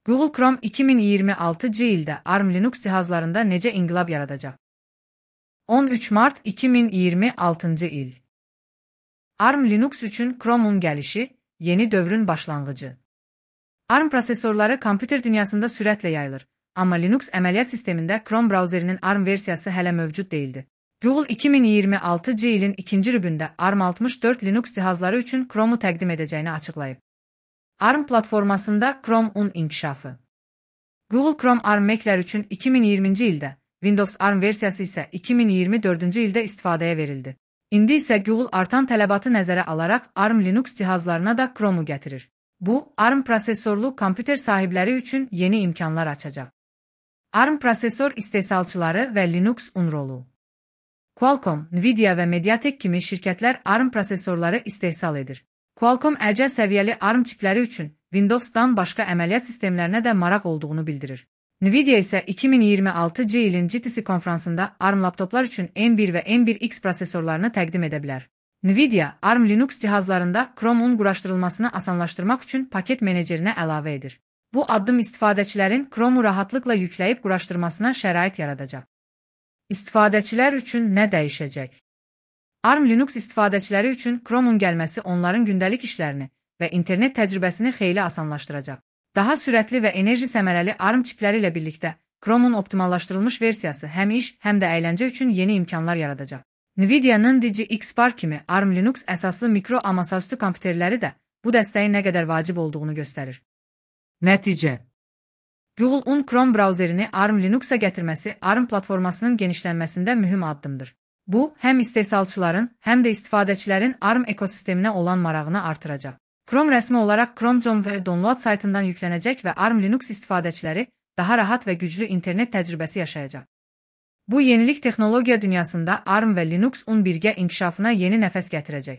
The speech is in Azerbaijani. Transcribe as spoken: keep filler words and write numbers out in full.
Google Chrome iki min iyirmi altıncı ildə ARM Linux cihazlarında necə inqilab yaradacaq? on üç mart iki min iyirmi altıncı il. ARM Linux üçün Chrome'un gəlişi, yeni dövrün başlanğıcı. ARM prosesorları kompüter dünyasında sürətlə yayılır, amma Linux əməliyyat sistemində Chrome brauzerinin ARM versiyası hələ mövcud değildi. Google iki min iyirmi altıncı ilin ikinci rübündə ARM altmış dörd Linux cihazları üçün Chrome'u təqdim edəcəyini açıqlayıb. ARM platformasında Chrome'un inkişafı. Google Chrome ARM Mac'lər üçün iki min iyirminci ildə, Windows ARM versiyası isə iki min iyirmi dördüncü ildə istifadəyə verildi. İndi isə Google artan tələbatı nəzərə alaraq ARM Linux cihazlarına da Chrome'u gətirir. Bu, ARM prosesorlu kompüter sahibləri üçün yeni imkanlar açacaq. ARM prosesor istehsalçıları və Linux-un rolu. Qualcomm, Nvidia və Mediatek kimi şirkətlər ARM prosesorları istehsal edir. Qualcomm əcəl səviyyəli ARM çipləri üçün Windows'dan başqa əməliyyat sistemlərinə də maraq olduğunu bildirir. Nvidia isə iki min iyirmi altıncı ilin G T C konfransında ARM laptoplar üçün M bir və M bir X prosesorlarını təqdim edə bilər. Nvidia, ARM Linux cihazlarında Chrome'un quraşdırılmasını asanlaşdırmaq üçün paket menecerinə əlavə edir. Bu addım istifadəçilərin Chrome'u rahatlıqla yükləyib quraşdırmasına şərait yaradacaq. İstifadəçilər üçün nə dəyişəcək? ARM Linux istifadəçiləri üçün Chrome'un gəlməsi onların gündəlik işlərini və internet təcrübəsini xeyli asanlaşdıracaq. Daha sürətli və enerji səmərəli ARM çipləri ilə birlikdə Chrome'un optimallaşdırılmış versiyası həm iş, həm də əyləncə üçün yeni imkanlar yaradacaq. Nvidia'nın D G X Spark kimi ARM Linux əsaslı mikro a masaüstü kompüterləri də bu dəstəyin nə qədər vacib olduğunu göstərir. Nəticə. Google'un Chrome brauzerini ARM Linux'a gətirməsi ARM platformasının genişlənməsində mühüm addımdır. Bu, həm istehsalçıların, həm də istifadəçilərin ARM ekosisteminə olan marağını artıracaq. Chrome rəsmi olaraq Chrome və Download saytından yüklənəcək və ARM Linux istifadəçiləri daha rahat və güclü internet təcrübəsi yaşayacaq. Bu yenilik texnologiya dünyasında ARM və Linux-un birgə inkişafına yeni nəfəs gətirəcək.